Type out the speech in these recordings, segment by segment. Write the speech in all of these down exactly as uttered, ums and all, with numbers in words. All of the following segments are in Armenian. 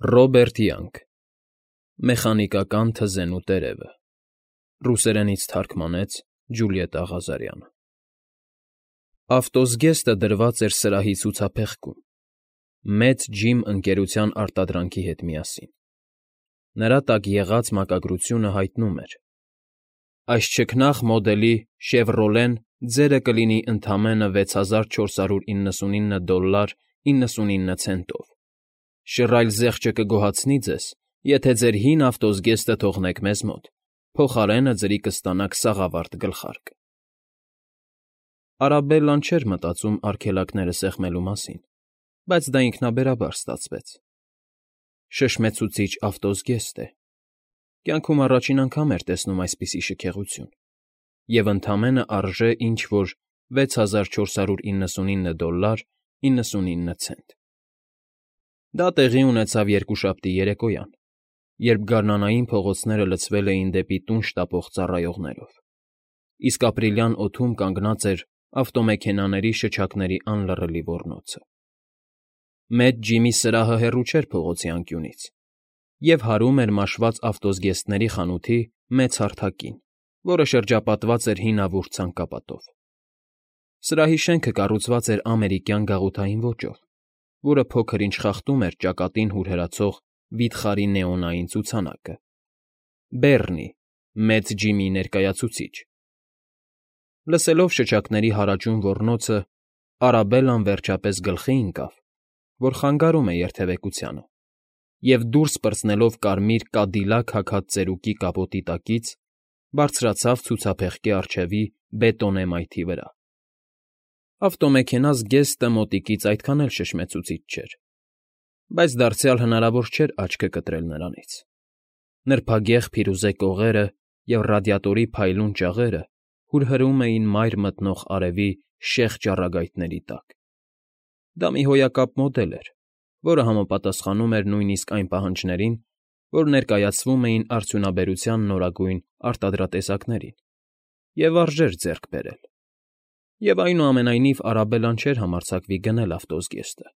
Ռոբերտ Յանգ Մեխանիկական թզենու տերևը Ռուսերենից թարգմանեց Ջուլիետտա Ղազարյանը Ավտոզգեստը դրված էր սրահի ցուցափեղկում, մեծ ջիմ ընկերության արտադրանքի հետ միասին. նրա տակ եղած մակագրությունը հայտնում էր. այս չքնաղ մոդելի «Շևրոլեն» ձերը կլինի ընդամենը վեց հազար չորս հարյուր իննսունինը դոլար իննսունինը ցենտով, շռայլ զեղչը կգոհացնի ձեզ, եթե ձեր հին ավտոզգեստը թողնեք մեզ մոտ, փոխարենը ձրի կստանաք սաղավարտ գլխարկ։ Արաբելլան չէր մտածում արգելակները սեղմելու մասին, բայց դա ինքնաբերաբար ստացվեց. շշմեցուցիչ ավտոզգեստ է, կյանքում առաջին անգամ էր տեսնում այսպիսի շքեղություն, և ընդամենը արժե ինչ֊որ վեց հազար չորս հարյուր իննսունինը դոլար իննսունինը ցենտ։ Դա տեղի ունեցավ երկուշաբթի երեկոյան, երբ գարնանային փողոցները լցվել էին դեպի տուն շտապող ծառայողներով, իսկ ապրիլյան օդում կանգնած էր ավտոմեքենաների շչակների անլռելի ոռնոցը։ Մեծ ջիմի սրահը հեռու չէր փողոցի անկյունից, և հարում էր մաշված ավտոզգեստների խանութի մեծ հարթակին, որը շրջապատված էր հինավուրց ցանկապատով։ Սրահի շենքը կառուցված էր ամերիկյան գաղութային ոճով, որը փոքր-ինչ խախտում էր ճակատին հուրհրացող վիթխարի նեոնային ցուցանակը՝ Բեռնի՝ մեծ ջիմի ներկայացուցիչ։ Լսելով շչակների հարաճուն ոռնոցը, Արաբելլան վերջապես գլխի ընկավ, որ խանգարում է երթևեկությանը, և դուրս պրծնելով կարմիր կադիլակ հագած ծերուկի կապոտի տակից, բարձրացավ ցուցափեղկի առջևի բետոնե մայթի վրա։ Ավտոմեքենա զգեստը մոտիկից այդքան էլ շշմեցուցիչ չէր, բայց դարձյալ հնարավոր չէր աչքը կտրել նրանից։ Նրբագեղ փիրուզե կողերը և ռադիատորի փայլուն ճաղերը հուրհրում էին մայր մտնող արևի շեղ ճառագայթների տակ։ Դա մի հոյակապ մոդել էր, որը համապատասխանում էր նույնիսկ այն պահանջներին, որ ներկայացվում էին արդյունաբերության նորագույն արտադրատեսակներին, և արժեր ձեռք բերել։ Եվ այնուամենայնիվ Արաբելլան չէր համարձակվի գնել ավտոզգեստը,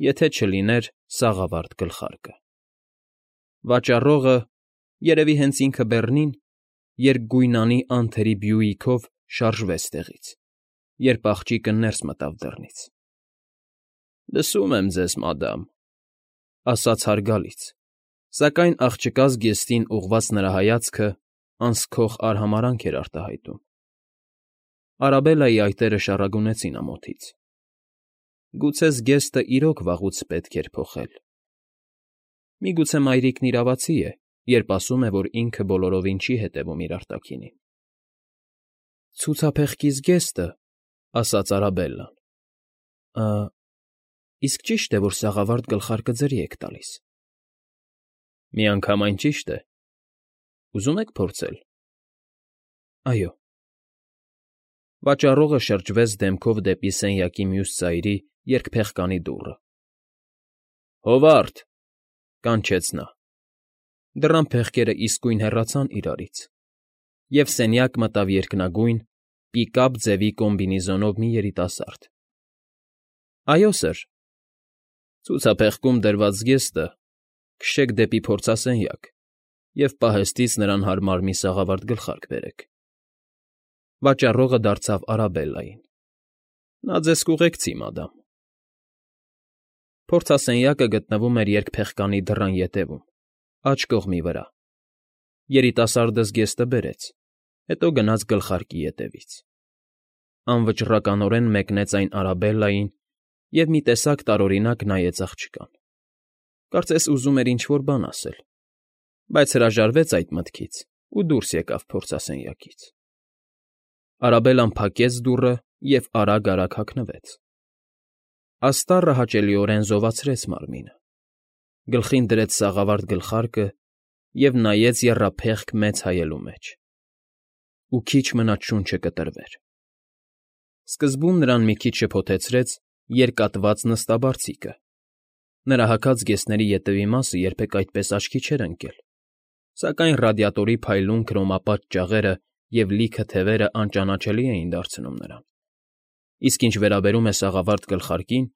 եթե չլիներ սաղավարտ գլխարկը։ Վաճառողը, երևի հենց ինքը Բեռնին, երկգույնանի անթերի Բյուիկով շարժվեց տեղից, երբ աղջիկը ներս մտավ դռնից։ ֊ Լսում եմ ձեզ, մադամ, ֊ ասաց հարգալից, սակայն աղջկա զգեստին ուղղված նրա հայացքը անսքող արհամարհանք էր արտահայտում։ Արաբելլայի այտերը շառագունեցին ամոթից։ Գուցե զգեստը իրոք վաղուց պետք էր փոխել։ Միգուցե մայրիկն իրավացի է, երբ ասում է, որ ինքը բոլորովին չի հետևում իր արտաքինին։ ֊ Ցուցափեղկի զգեստը, ֊ ասաց Արաբելլան։ ֊ Ա, իսկ ճի՞շտ է, որ սաղավարտ գլխարկը ձրի եք տալիս։ ֊ Միանգամայն ճիշտ է։ Ուզում եք փորձել։ ֊ Այո։ Վաճառողը շրջվեց դեմքով դեպի սենյակի մյուս ծայրի երկփեղկանի դուռը։ ֊ Հովա՛րդ, ֊ կանչեց նա։ Դռան փեղկերը իսկույն հեռացան իրարից, և սենյակ մտավ երկնագույն, պիկապ ձևի կոմբինեզոնով մի երիտասարդ։ ֊ Այո, սըր։ ֊ Ցուցափեղկում դրված զգեստը քշեք դեպի փորձասենյակ և պահեստից նրան հարմար մի սաղավարտ գլխարկ բերեք։ Վաճառողը դարձավ Արաբելլային։ ֊ Նա ձեզ կուղեկցի, մադամ։ Փորձասենյակը գտնվում էր երկփեղկանի դռան ետևում, աջ կողմի վրա։ Երիտասարդը զգեստը բերեց, հետո գնաց գլխարկի ետևից։ Անվճռականորեն մեկնեց այն Արաբելլային և մի տեսակ տարօրինակ նայեց աղջկան։ Կարծես ուզում էր ինչ֊որ բան ասել, բայց հրաժարվեց այդ մտքից ու դուրս եկավ փորձասենյակից։ Արաբելլան փակեց դուռը և արագ֊արագ հագնվեց։ Աստառը հաճելիորեն զովացրեց մարմինը, գլխին դրեց սաղավարտ գլխարկը և նայեց եռափեղկ մեծ հայելու մեջ։ Ու քիչ մնաց շունչը կտրվեր։ Սկզբում նրան մի քիչ շփոթեցրեց երկատված նստաբարձիկը։ Նրա հագած զգեստների ետևի մասը երբեք այդպես աչքի չէր ընկել, սակայն ռադիատորի փայլուն քրոմապատ ճաղերը և լիքը թևերը անճանաչելի էին դարձնում նրան։ Իսկ ինչ վերաբերում է սաղավարտ գլխարկին,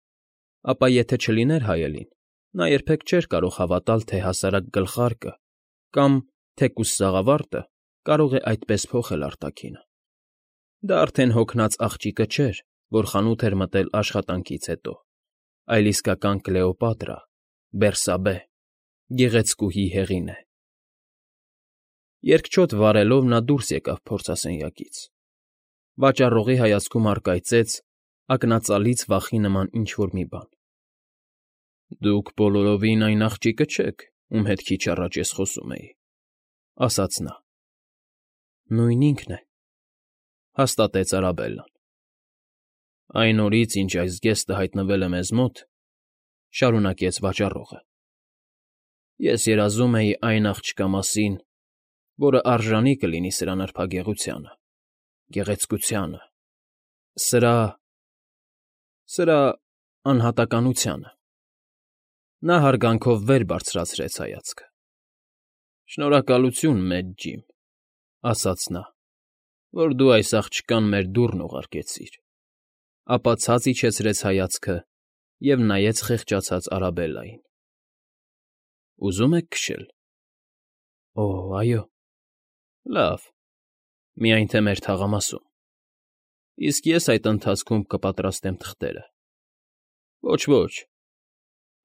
ապա եթե չլիներ հայելին, Նա երբեք չէր կարող հավատալ, թե հասարակ գլխարկը կամ թեկուզ սաղավարտը կարող է այդպես փոխել արտաքինը. դա արդեն հոգնած աղջիկը չէր, որ խանութ էր մտել աշխատանքից հետո, այլ իսկական Կլեոպատրա, Բերսաբե, գեղեցկուհի Հեղինե։ Երկչոտ վառելով նա դուրս եկավ փորձասենյակից։ Վաճառողի հայացքում առկայծեց ակնածալից վախի նման ինչ֊որ մի բան։ ֊ Դուք բոլորովին այն աղջիկը չեք, ում հետ քիչ առաջ ես խոսում էի,֊ ասաց նա։ ֊ Նույն ինքն է,֊ հաստատեց Արաբելլան։ ֊ Այն օրից, ինչ այս զգեստը հայտնվել է մեզ մոտ,֊ շարունակեց վաճառողը,֊ ես երազում էի այն աղջկա մասին, որը արժանի կլինի սրա նրբագեղությանը, գեղեցկությանը, սրա… սրա… անհատականությանը… Նա հարգանքով վեր բարձրացրեց հայացքը։ ֊ Շնորհակալություն, մեծ ջիմ,֊ ասաց նա,֊ որ դու այս աղջկան մեր դուռն ուղարկեցիր, ապա ցած իջեցրեց հայացքը և նայեց խեղճացած Արաբելլային։ ֊ Ուզում եք քշել։ ֊ Օ, այո։ ֊ Լավ, միայն թե մեր թաղամասում, իսկ ես այդ ընթացքում կպատրաստեմ թղթերը։ ֊ Ոչ, ոչ,֊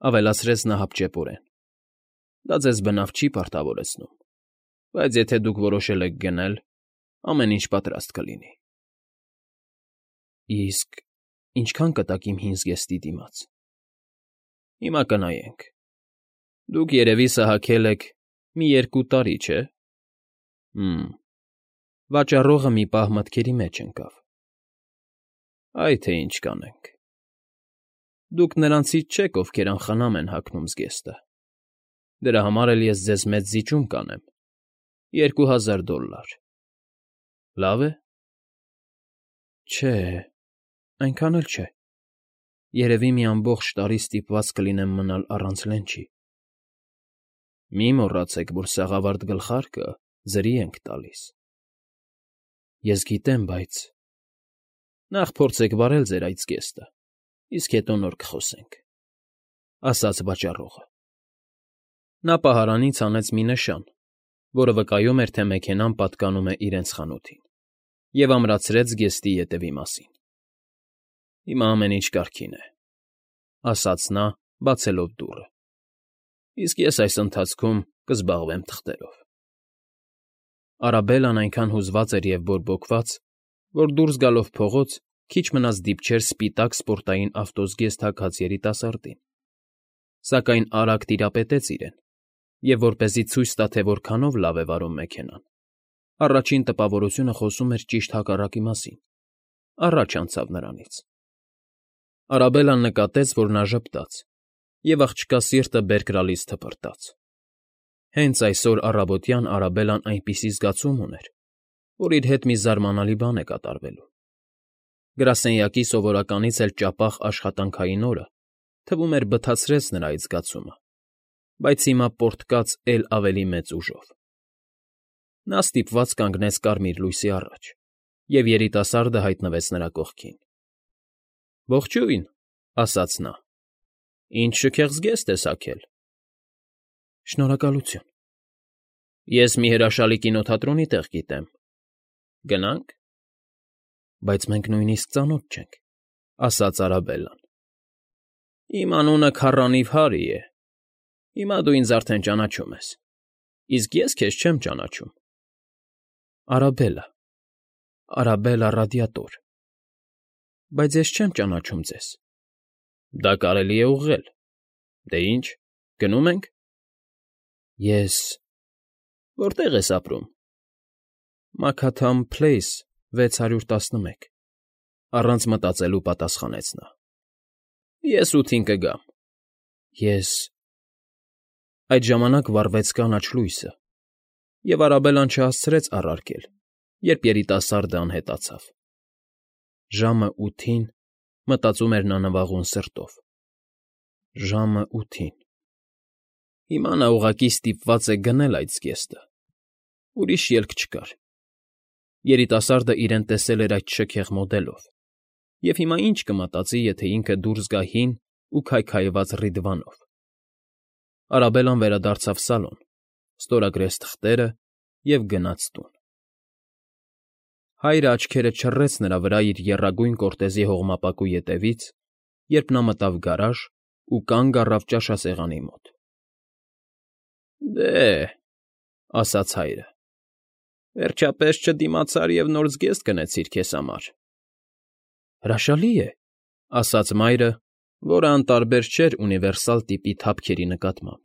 ավելացրեց նա հապճեպորեն,֊ դա ձեզ բնավ չի պարտավորեցնում, բայց եթե դուք որոշել եք գնել, ամեն ինչ պատրաստ կլինի։ ֊ Իսկ ինչքա՞ն կտաք իմ հին զգեստի դիմաց։ ֊ Հիմա կնայենք. դուք, երևի, սահաքել եք մի երկու տարի, չէ՞։ ֊ Հը՛մ… Վաճառողը մի պահ մտքերի մեջ ընկավ։ ֊ Այ թե ինչ կանենք… Դուք նրանցից չեք, ովքեր անխնամ են հագնում զգեստը, դրա համար էլ ես ձեզ մեծ զիջում կանեմ՝ երկու հազար դոլլար… Լավ է։ ֊ Չէ, այնքան էլ չէ… Երևի մի ամբողջ տարի ստիպված կլինեմ մնալ առանց լենջի։ ֊ Մի մոռացեք, որ սաղավարտ գլխարկը ձրի ենք տալիս։ ֊ Ես գիտեմ, բայց… Նախ փորձեք վարել ձեր այդ զգեստը, իսկ հետո նոր կխոսենք,֊ ասաց վաճառողը։ Նա պահարանից հանեց մի նշան, որը վկայում էր, թե մեքենան պատկանում է իրենց խանութին, և ամրացրեց զգեստի ետևի մասին։ ֊ Հիմա ամեն ինչ կարգին է,֊ ասաց նա, բացելով դուռը,֊ իսկ ես այս ընթացքում կզբաղվեմ թղթերով։ Արաբելլան այնքան հուզված էր և բորբոքված, որ դուրս գալով փողոց քիչ մնաց դիպչեր սպիտակ սպորտային ավտոզգեստ հագած երիտասարդին, սակայն արագ տիրապետեց իրեն և, որպեսզի ցույց տա, թե որքանով լավ է վարում մեքենան, առաջին տպավորությունը խոսում էր ճիշտ հակառակի մասին, առաջ անցավ նրանից։ Արաբելլան նկատեց, որ նա ժպտաց, և աղջկա սիրտը բերք գալիս թպրտաց։ Հենց այսօր առավոտյան Արաբելլան այնպիսի զգացում ուներ, որ իր հետ մի զարմանալի բան է կատարվելու։ Գրասենյակի սովորականից էլ ճապաղ աշխատանքային օրը, թվում էր, բթացրեց նրա այդ զգացումը, բայց հիմա պոռթկաց էլ ավելի մեծ ուժով։ Նա ստիպված կանգնեց կարմիր լույսի առաջ, և երիտասարդը հայտնվեց նրա կողքին։ ֊ Ողջույն,֊ ասաց նա,֊ ինչ շքեղ զգեստ ես հագել։ ֊ Շնորհակալություն։ ֊ Ես մի հրաշալի կինոթատրոնի տեղ գիտեմ։ Գնա՞նք։ ֊ Բայց մենք նույնիսկ ծանոթ չենք,֊ ասաց Արաբելլան։ ֊ Իմ անունը քառանիվ Հարրի է, հիմա դու ինձ արդեն ճանաչում ես, իսկ ես քեզ չեմ ճանաչում։ ֊ Արաբելլա… Արաբելլա Ռադիատոր… Բայց ես չեմ ճանաչում ձեզ։ ֊ Դա կարելի է ուղղել։ Դե ինչ, գնո՞ւմ ենք։ ֊ Ես… Որտե՞ղ ես ապրում։ ֊ Մաքաթամ Փլեյս, վեց հարյուր տասնմեկ,֊ առանց մտածելու պատասխանեց նա։ ֊ Ես ութին կգամ։ ֊ Ես… Այդ ժամանակ վառվեց կանաչ լույսը, և Արաբելլան չհասցրեց առարկել, երբ երիտասարդը անհետացավ։ Ժամը ութին, մտածում էր նա նվաղուն սրտով, ժամը ութին… Հիմա նա ուղղակի ստիպված է գնել այդ զգեստը, ուրիշ ելք չկար։ Երիտասարդը իրեն տեսել էր այդ շքեղ մոդելով, և հիմա ինչ կմտածի, եթե ինքը դուրս գա հին ու քայքայված Ռիդվանով, Արաբելան վերադարձավ սալոն, ստորագրեց թղթերը և գնաց տուն։ Հայրը աչքերը չռեց նրա վրա իր եռագույն կորտեզի հողմապակու ետևից, երբ նա մտավ գարաժ ու կանգ առավ ճաշասեղանի մոտ։ ֊ Դե,֊ ասաց հայրը,֊ վերջապես չդիմացար և նոր զգեստ գնեցիր քեզ համար։ ֊ Հրաշալի է,֊ ասաց մայրը, որը անտարբեր չէր ունիվերսալ տիպի թափքերի նկատմամբ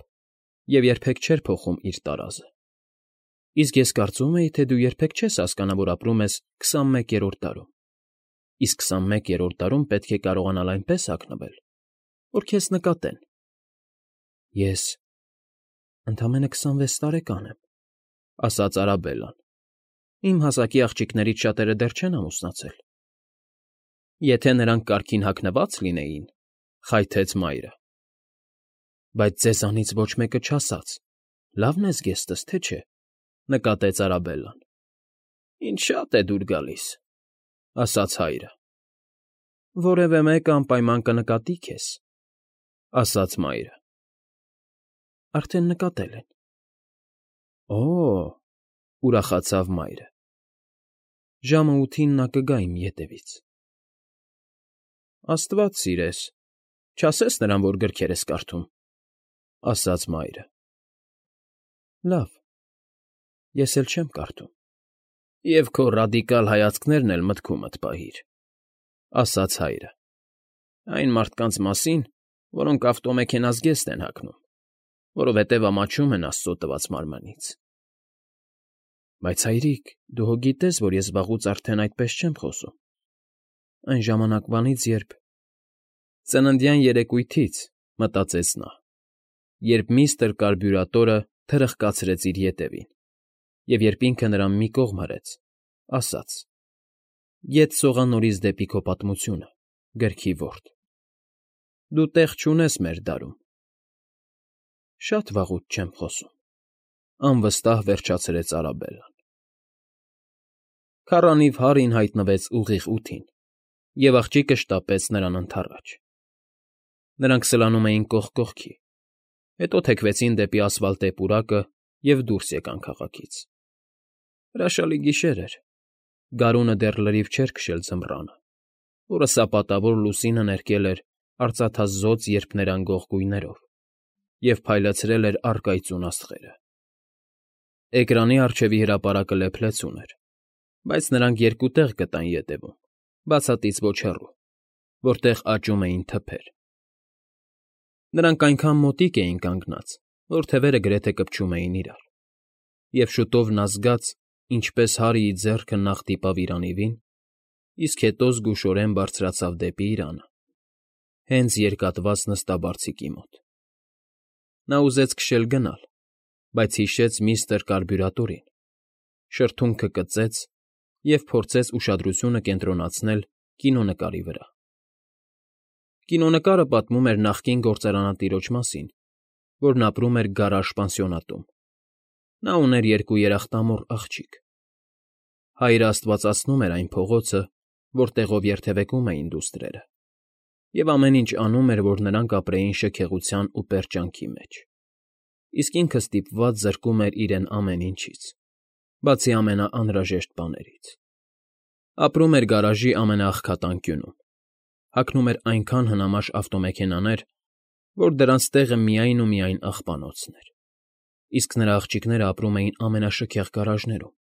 և երբեք չէր փոխում իր տարազը։ ֊ Իսկ ես կարծում էի, թե դու երբեք չես հասկանա, որ ապրում ես քսանմեկերորդ դարում, իսկ քսանմեկերորդ դարում պետք է կարողանալ այնպես հագնվել, որ քեզ նկատեն։ ֊ Ես ընդամենը քսանվեց տարեկան եմ,֊ ասաց Արաբելլան,֊ իմ հասակի աղջիկներից շատերը դեռ չեն ամուսնացել։ ֊ Եթե նրանք կարգին հագնված լինեին,֊ խայթեց մայրը։ ֊ Բայց ձեզանից ոչ մեկը չասաց. լավն է զգեստս, թե չէ,֊ նկատեց Արաբելլան։ ֊ Ինձ շատ է դուր գալիս,֊ ասաց հայրը։ ֊ Որևէ մեկը անպայման կնկատի քեզ,֊ ասաց մայրը։ ֊ Արդեն նկատել են։ ֊ Օ՜,֊ ուրախացավ մայրը։ ֊ Ժամը ութին նա կգա իմ ետևից։ ֊ Աստված սիրես, չասես նրան, որ գրքեր ես կարդում,֊ ասաց մայրը։ ֊ Լավ, ես էլ չեմ կարդում։ ֊ Եվ քո ռադիկալ հայացքներն էլ մտքումդ պահիր,֊ ասաց հայրը,֊ այն մարդկանց մասին, որոնք ավտոմեքենա զգեստ են հագնում, որովհետև ամաչում են աստծո տված մարմնից։ ֊ Բայց, հայրիկ, դու հո գիտես, որ ես վաղուց արդեն այդպես չեմ խոսում, այն ժամանակվանից, երբ… Ծննդյան երեկույթից,֊ մտածեց նա, երբ միստր Կարբյուրատորը թրխկացրեց իր ետևին, և երբ ինքը նրան մի կողմ հրեց, ասաց. «Ետ սողա նորից դեպի քո պատմությունը, գրքի որդը, դու տեղ չունես մեր դարում»։ ֊ Շատ վաղուց չեմ խոսում,֊ անվստահ վերջացրեց Արաբելլան։ Քառանիվ Հարրին հայտնվեց ուղիղ ութին, և աղջիկը շտապեց նրան ընդառաջ։ Նրանք սլանում էին կողք կողքի, հետո թեքվեցին դեպի ասֆալտե պուրակը և դուրս եկան քաղաքից։ Հրաշալի գիշեր էր, գարունը դեռ լրիվ չէր քշել ձմռանը, որը սապատավոր լուսինը ներկել էր արծաթազօծ երփներանգող գույներով և փայլեցրել էր առկայծուն աստղերը։ Էկրանի առջևի հրապարակը լեփ֊լեցուն էր, բայց նրանք երկու տեղ գտան ետևում, բացատից ոչ հեռու, որտեղ աճում էին թփեր։ Նրանք այնքան մոտիկ էին կանգնած, որ թևերը գրեթե կպչում էին իրար, և շուտով նա զգաց, ինչպես Հարրիի ձեռքը նախ դիպավ իր անիվին, իսկ հետո զգուշորեն բարձրացավ դեպի իրանը, հենց երկատված նստաբարձիկի մոտ։ Նա ուզեց քշել գնալ, բայց հիշեց միստր Կարբյուրատորին, շրթունքը կծեց և փորձեց ուշադրությունը կենտրոնացնել կինոնկարի վրա։ Կինոնկարը պատմում էր նախկին գործարանատիրոջ մասին, որն ապրում էր գարաժ պանսիոնատում։ Նա ուներ երկու երախտամոռ աղջիկ։ Հայրը աստվածացնում էր այն փողոցը, որտեղով երթևեկում էին դուստրերը, և ամեն ինչ անում էր, որ նրանք ապրեին շքեղության ու պերճանքի մեջ, իսկ ինքը ստիպված զրկում էր իրեն ամեն ինչից, բացի ամենաանհրաժեշտ բաներից։ Ապրում էր գարաժի ամենաաղքատ անկյունում, հագնում էր այնքան հնամաշ ավտոմեքենաներ, որ դրանց տեղը միայն ու միայն աղբանոցն էր, իսկ նրա աղջիկները ապրում էին ամենաշքեղ գարաժներում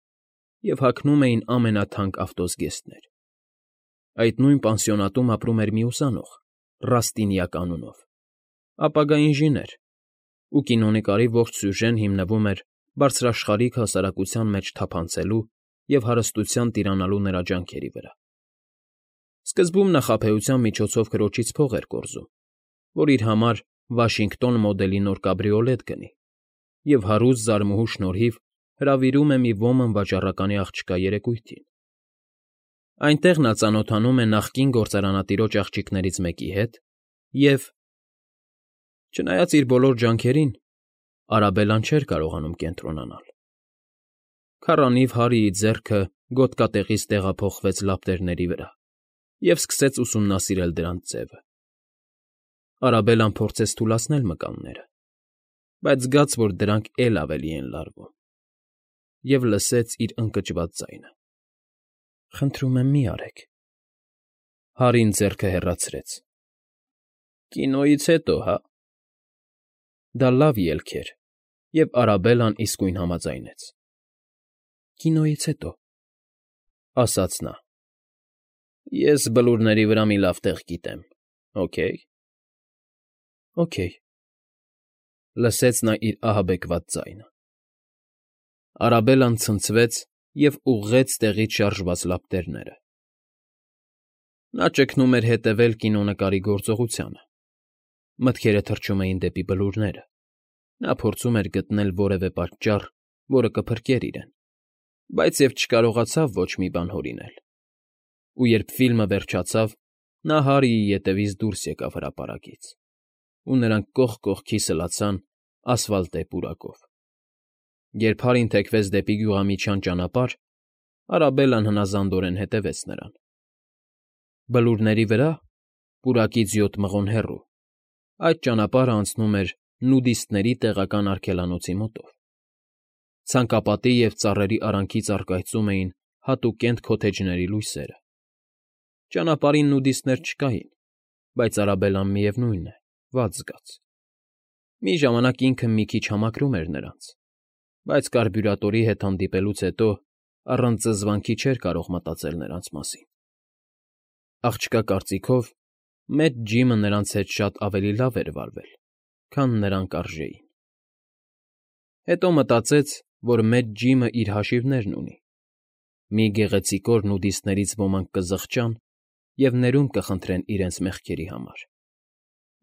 և հագնում էին ամենաթանկ ավտոզգեստներ։ Այդ նույն պանսիոնատում ապրում էր մի ուսանող՝ Ռաստինյակ անունով, ապագա ինժեներ, ու կինոնկարի ողջ սյուժեն հիմնվում էր բարձրաշխարհիկ հասարակության մեջ թափանցելու և հարստության տիրանալու նրա ջանքերի վրա։ Սկզբում նա խաբեության միջոցով քրոջից փող էր կորզում, որ իր համար Վաշինգտոն մոդելի նոր կաբրիոլետ գնի, և հարուստ զարմուհու շնորհիվ հրավիրում է մի ոմն վաճառականի աղջկա երեկույթին։ Այնտեղ նա ծանոթանում է նախկին գործարանատիրոջ աղջիկներից մեկի հետ և… Չնայած իր բոլոր ջանքերին, Արաբելլան չէր կարողանում կենտրոնանալ։ Քառանիվ Հարրիի ձեռքը գոտկատեղից տեղափոխվեց լապտերների վրա և սկսեց ուսումնասիրել դրանց ձևը։ Արաբելլան փորձեց թուլացնել մկանները, բայց զգաց, որ դրանք էլ ավելի են լարվում, և լսեց իր ընկճված ձայնը. ֊ Խնդրում եմ, մի արեք… Հարին ձեռքը հեռացրեց. ֊ Կինոյից հետո, հա… Դա լավ ելք էր, և Արաբելլան իսկույն համաձայնեց։ ֊ Կինոյից հետո, ֊ ասաց նա։ ֊ Ես բլուրների վրա մի լավ տեղ գիտեմ, օքեյ… ֊ Օքեյ…֊ լսեց նա իր ահաբեկված ձայնը։ Արաբելլան ցնցվեց և ուղղեց տեղից շարժված լապտերները։ Նա ճգնում էր հետևել կինոնկարի գործողությանը, մտքերը թռչում էին դեպի բլուրները, նա փորձում էր գտնել որևէ պատճառ, որը կփրկեր իրեն, բայց և չկարողացավ ոչ մի բան հորինել, ու երբ ֆիլմը վերջացավ, նա Հարիի ետևից դուրս եկավ հրապարակից, ու նրանք կողք կողքի սլացան ասֆալտե պուրակով։ Երբ Հարին թեքվեց դեպի գյուղամիջյան ճանապարհ, Արաբելլան հնազանդորեն հետևեց նրան։ Բլուրների վրա, պուրակից յոթ մղոն հեռու, այդ ճանապարհը անցնում էր նուդիստների տեղական արգելանոցի մոտով։ Ցանկապատի և ծառերի արանքից առկայծում էին հատուկենտ քոթեջների լույսերը։ Ճանապարհին նուդիստներ չկային, բայց Արաբելլան, միևնույն է, վատ զգաց։ Մի ժամանակ ինքը մի քիչ համակրում էր նրանց, բայց կարբյուրատորի հետ հանդիպելուց հետո առանց զզվանքի չէր կարող մտածել նրանց մասին։ Աղջկա կարծիքով, մեծ Ջիմը նրանց հետ շատ ավելի լավ էր վարվել, քան նրանք արժեին։ Հետո մտածեց, որ մեծ Ջիմը իր հաշիվներն ունի։ Մի գեղեցիկ օր նուդիստներից ոմանք կզղջան և ներումն կխնդրեն իրենց մեղքերի համար։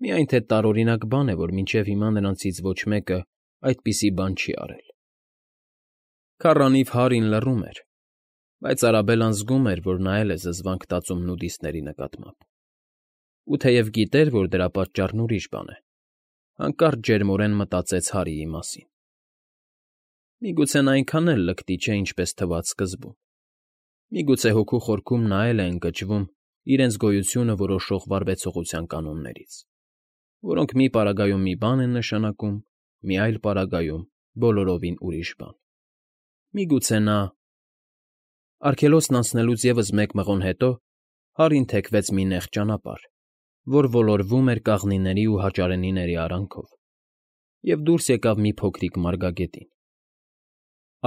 Միայն թե տարօրինակ բան է, որ մինչև հիմա նրանցից ոչ մեկը այդպիսի բան չի արել։ Քառանիվ Հարին լռում էր, բայց Արաբելլան զգում էր, որ նա էլ է զզվանք տածում նուդիստների նկատմամբ։ Ու թեև գիտեր, որ դրա պատճառն ուրիշ բան է, հանկարծ ջերմորեն մտածեց Հարիի մասին։ Միգուցե նա այնքան էլ լկտի չէ, ինչպես թվաց սկզբում։ Միգուցե հոգու խորքում նա էլ է ընկճվում իրենց գոյությունը որոշող վարվեցողության կանոններից, որոնք մի պարագայում մի բան են նշանակում, մի այլ պարագայում բոլորովին ուրիշ բան։ Միգուցե նա… Արգելոցն անցնելուց ևս մեկ մղոն հետո Հարին թեքվեց մի նեղ ճանապարհ, որ ոլորվում էր կաղնիների ու հաճարենիների արանքով, և դուրս եկավ մի փոքրիկ մարգագետին։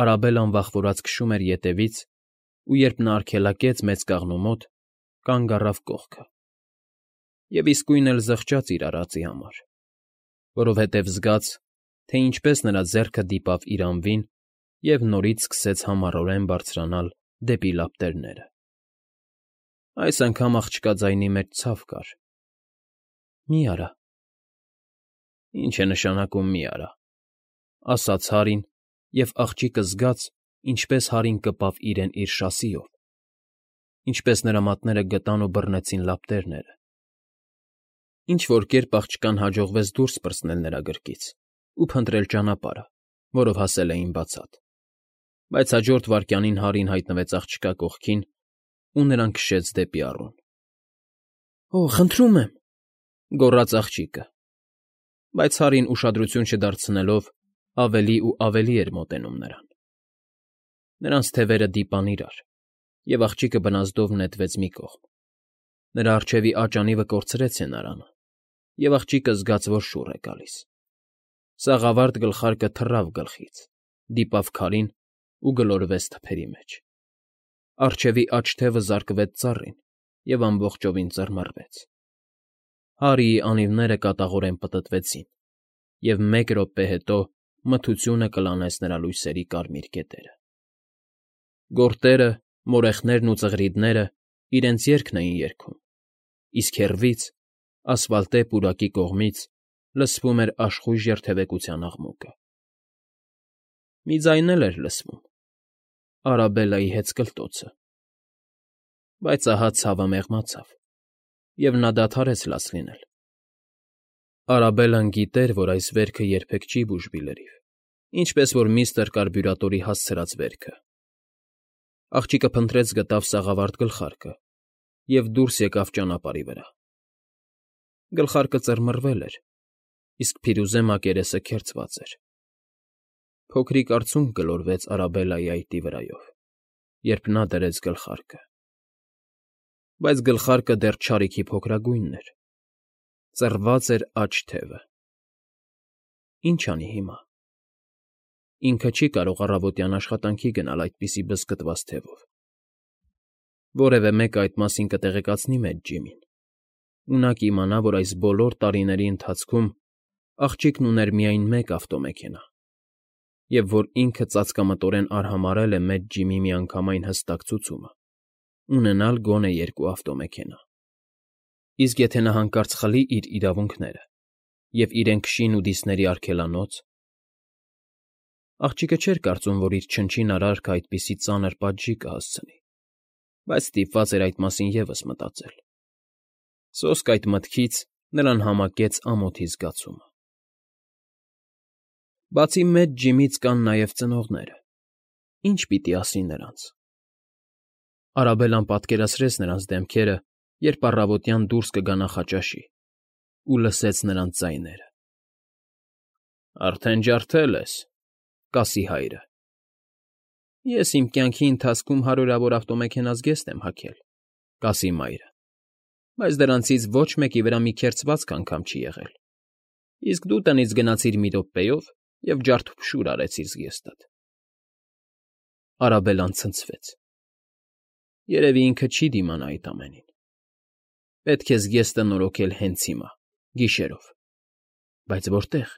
Արաբելլան վախվորած քշում էր ետևից, ու երբ նա արգելակեց մեծ կաղնու մոտ, կանգ առավ կողքը և իսկույն էլ զղջաց իր արածի համար, որովհետև զգաց, թե ինչպես նրա ձեռքը դիպավ իր անվին և նորից սկսեց համառորեն բարձրանալ դեպի լապտերները։ Այս անգամ աղջկա ձայնի մեջ ցավ կար. «Մի արա»։ «Ինչ է նշանակում մի արա», ֊ ասաց Հարին, և աղջիկը զգաց, ինչպես Հարին կպավ իրեն իր շասիով, ինչպես նրա մատները գտան ու բռնեցին լապտերները։ Ինչ֊որ կերպ աղջկան հաջողվեց դուրս պրծնել նրա գրկից ու փնտրել ճանապարհը, որով հասել էին բացատ, բայց հաջորդ վայրկյանին Հարին հայտնվեց աղջկա կողքին, ու նրան քշեց դեպի առուն։ ֊ Օ՜, խնդրում եմ, ֊ գոռաց աղջիկը, բայց Հարին, ուշադրություն չդարձնելով, ավելի ու ավելի էր մոտենում նրան։ Նրանց թևերը դիպան իրար, և աղջիկը բնազդով նետվեց մի կողմ։ Նրա առջևի աջ անիվը կորցրեց հենարանը, և աղջիկը զգաց, որ շուռ է գալիս։ Սաղավարտ գլխարկը թռավ գլխից, դիպավ քարին ու գլորվեց թփերի մեջ։ Առջևի աջ թևը զարկվեց ծառին և ամբողջովին ծռմռվեց։ Հարիի անիվները կատաղորեն պտտվեցին, և մեկ րոպե հետո մթությունը կլանեց նրա լույսերի կարմիր կետերը։ Գորտերը, մորեխներն ու ծղրիդները իրենց երգն էին երգում, իսկ հեռվից, ասֆալտե պուրակի կողմից լսվում էր աշխույժ երթևեկության աղմուկը։ Մի ձայն էլ էր լսվում. Արաբելլայի հեծկլտոցը։ Բայց ահա ցավը մեղմացավ, և նա դադարեց լաց լինել։ Արաբելլան գիտեր, որ այս վերքը երբեք չի բուժվի լրիվ, ինչպես որ միստր Կարբյուրատորի հասցրած վերքը։ Աղջիկը փնտրեց գտավ սաղավարտ գլխարկը և դուրս եկավ ճանապարհի վրա։ Գլխարկը ծռմռվել էր, իսկ փիրուզե մակերեսը քերծված էր։ Փոքրիկ արցունք գլորվեց Արաբելայի այտի վրայով, երբ նա դրեց գլխարկը։ Բայց գլխարկը դեռ չարիքի փոքրագույնն էր, ծռված էր աջ թևը։ Ինչ անի հիմա։ Ինքը չի կարող առավոտյան աշխատանքի գնալ այդպիսի բզկտված թևով։ Որևէ մեկը այդ մասին կտեղեկացնի մեծ Ջիմին, ու նա կիմանա, որ այս բոլոր տարիների ընթացքում աղջիկն ուներ միայն մեկ ավտոմեքենա, և որ ինքը ծածկամտորեն արհամարհել է մեծ Ջիմի միանգամայն հստակ ցուցումը՝ ունենալ գոնե երկու ավտոմեքենա։ Իսկ եթե նա հանկարծ խլի իր իրավունքները և իրեն քշի նուդիստների արգելանոց… Աղջիկը չէր կարծում, որ իր չնչին արարքը այդպիսի ծանր պատժի կհասցնի, բայց ստիպված էր այդ մասին ևս մտածել։ Սոսկ այդ մտքից նրան համակեց ամոթի զգացումը։ Բացի մեծ Ջիմից կան նաև ծնողները… Ի՞նչ պիտի ասի նրանց։ Արաբելլան պատկերացրեց նրանց դեմքերը, երբ առավոտյան դուրս կգա նախաճաշի, ու լսեց նրանց ձայները։ ֊ Արդեն ջարդել ես,֊ կասի հայրը։ ֊ Ես իմ կյանքի ընթացքում հարյուրավոր ավտոմեքենա զգեստ եմ հագել,֊ կասի մայրը,֊ բայց դրանցից ոչ մեկի վրա մի քերծվածք անգամ չի եղել, իսկ դու տնից գնացիր մի րոպեով և ջարդուփշուր արեցիր զգեստդ։ Արաբելլան ցնցվեց. երևի ինքը չի դիմանա այդ ամենին։ Պետք է զգեստը նորոգել հենց հիմա, գիշերով։ Բայց որտե՞ղ։